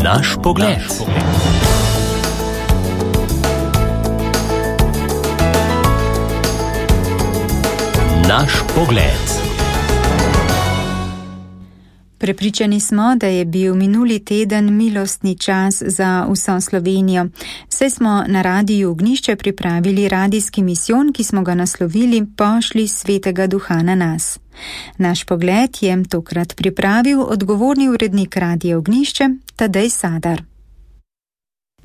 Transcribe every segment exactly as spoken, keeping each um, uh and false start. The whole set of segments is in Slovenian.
Naš pogled. Naš pogled. Prepričani smo, da je bil minuli teden milostni čas za vso Slovenijo. Saj smo na Radiju Ognjišče pripravili radijski misijon, ki smo ga naslovili Pošlji Svetega Duha na nas. Naš pogled je tokrat pripravil odgovorni urednik Radija Ognjišče Tadej Sadar.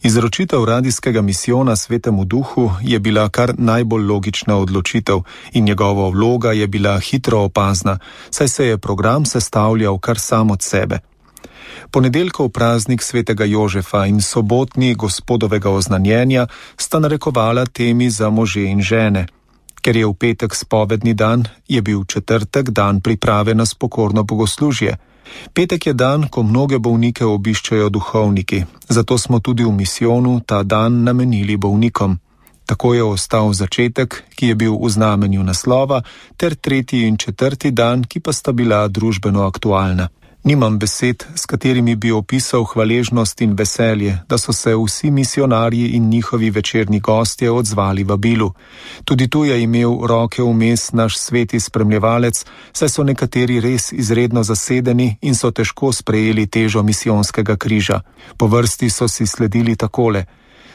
Izročitev radijskega misijona Svetemu Duhu je bila kar najbolj logična odločitev in njegova vloga je bila hitro opazna, saj se je program sestavljal kar sam od sebe. Ponedeljkov praznik Svetega Jožefa in sobotni Gospodovega oznanjenja sta narekovala temi za može in žene. Ker je v petek spovedni dan, je bil četrtek dan priprave na spokorno bogoslužje. Petek je dan, ko mnoge bolnike obiščajo duhovniki, zato smo tudi v misijonu ta dan namenili bolnikom. Tako je ostal začetek, ki je bil v znamenju naslova, ter tretji in četrti dan, ki pa sta bila družbeno aktualna. Nimam besed, s katerimi bi opisal hvaležnost in veselje, da so se vsi misionarji in njihovi večerni gostje odzvali vabilu. Tudi tu je imel roke vmes naš sveti spremljevalec, saj so nekateri res izredno zasedeni in so težko sprejeli težo misijonskega križa. Po vrsti so si sledili takole: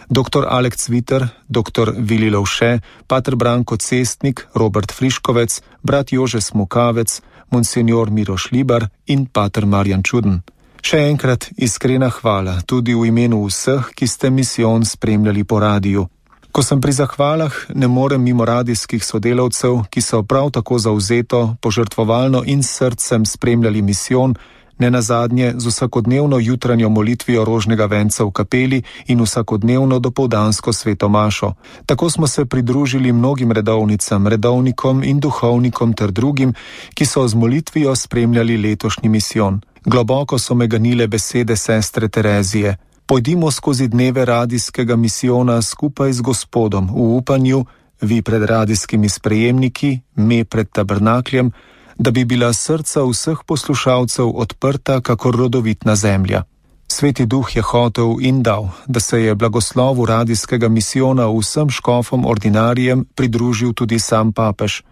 doktor Alek Cviter, doktor Vili Lovše, pater Branko Cestnik, Robert Friškovec, brat Jože Smukavec, monsenjor Miroš Libar in pater Marjan Čuden. Še enkrat iskrena hvala tudi v imenu vseh, ki ste misijon spremljali po radiju. Ko sem pri zahvalah, ne morem mimo radijskih sodelavcev, ki so prav tako zavzeto, požrtvovalno in s srcem spremljali misijon, ne nazadnje z vsakodnevno jutranjo molitvijo rožnega venca v kapeli in vsakodnevno dopoldansko sveto mašo. Tako smo se pridružili mnogim redovnicam, redovnikom in duhovnikom ter drugim, ki so z molitvijo spremljali letošnji misijon. Globoko so me ganile besede sestre Terezije: pojdimo skozi dneve radijskega misijona skupaj z Gospodom v upanju, vi pred radijskimi sprejemniki, me pred tabernakljem, da bi bila srca vseh poslušalcev odprta kakor rodovitna zemlja. Sveti Duh je hotel in dal, da se je blagoslovu radijskega misijona vsem škofom ordinarijem pridružil tudi sam papež.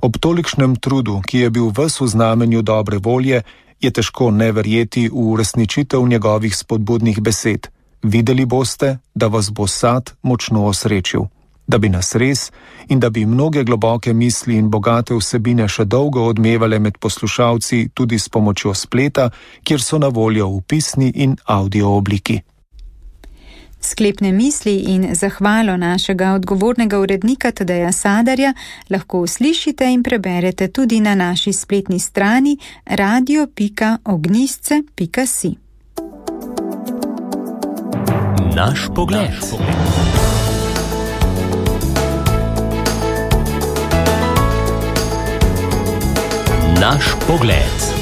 Ob tolikšnem trudu, ki je bil ves v znamenju dobre volje, je težko ne verjeti v uresničitev njegovih spodbudnih besed. Videli boste, da vas bo sad močno osrečil. Da bi nas res in da bi mnoge globoke misli in bogate vsebine še dolgo odmevale med poslušalci tudi s pomočjo spleta, kjer so na voljo v pisni in audio obliki. Sklepne misli in zahvalo našega odgovornega urednika Tadeja Sadarja lahko uslišite in preberete tudi na naši spletni strani radio pika ognjisce pika si. Naš pogled. Naš pogled.